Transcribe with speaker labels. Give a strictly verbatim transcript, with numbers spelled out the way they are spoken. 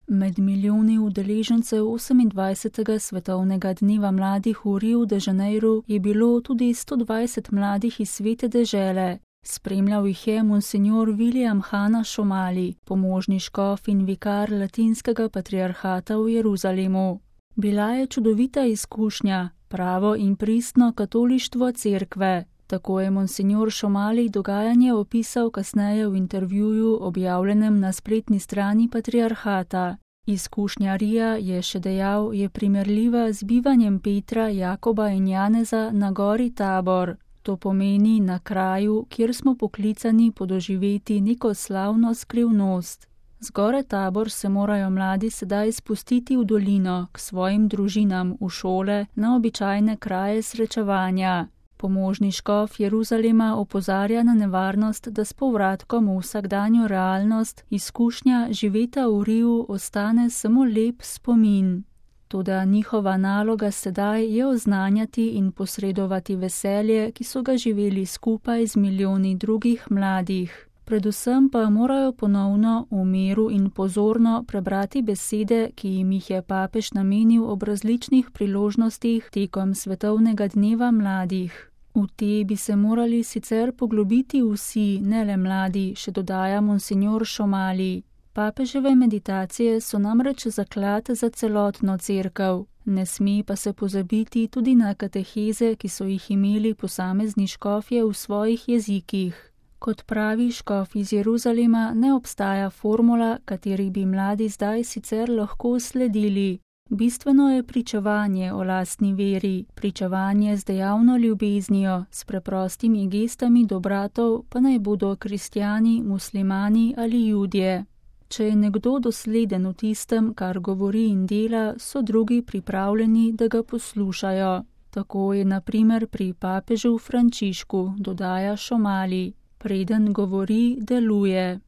Speaker 1: Med milijoni udeležencev osemindvajsetega svetovnega dneva mladih v Riu de Janeiru je bilo tudi sto dvajset mladih iz svete dežele. Spremljal jih je monsignor William Hanna Šomali, pomožni škof in vikar latinskega patriarhata v Jeruzalemu. Bila je čudovita izkušnja, pravo in pristno katolištvo cerkve. Tako je monsignor Šomali dogajanje opisal kasneje v intervjuju, objavljenem na spletni strani patriarhata. Izkušnja Rija, je še dejal, je primerljiva z bivanjem Petra, Jakoba in Janeza na gori Tabor. To pomeni na kraju, kjer smo poklicani podoživeti neko slavno skrivnost. Z gore Tabor se morajo mladi sedaj spustiti v dolino, k svojim družinam, v šole, na običajne kraje srečevanja. Pomožni škof Jeruzalema opozarja na nevarnost, da s povratkom v vsakdanjo realnost izkušnja živeta v Riu ostane samo lep spomin. Toda njihova naloga sedaj je oznanjati in posredovati veselje, ki so ga živeli skupaj z milijoni drugih mladih. Predvsem pa morajo ponovno v miru in pozorno prebrati besede, ki jim jih je papež namenil ob različnih priložnostih tekom svetovnega dneva mladih. V te bi se morali sicer poglobiti vsi, ne le mladi, še dodaja monsignor Šomali. Papeževe meditacije so namreč zaklad za celotno cerkev. Ne sme pa se pozabiti tudi na kateheze, ki so jih imeli posamezni škofje v svojih jezikih. Kot pravi škof iz Jeruzalema, ne obstaja formula, kateri bi mladi zdaj sicer lahko sledili. Bistveno je pričevanje o lastni veri, pričevanje z dejavno ljubeznijo, s preprostimi gestami do bratov, pa naj bodo kristjani, muslimani ali judje. Če je nekdo dosleden v tistem, kar govori in dela, so drugi pripravljeni, da ga poslušajo. Tako je na primer pri papežu Frančišku, dodaja Šomali. Preden govori, deluje.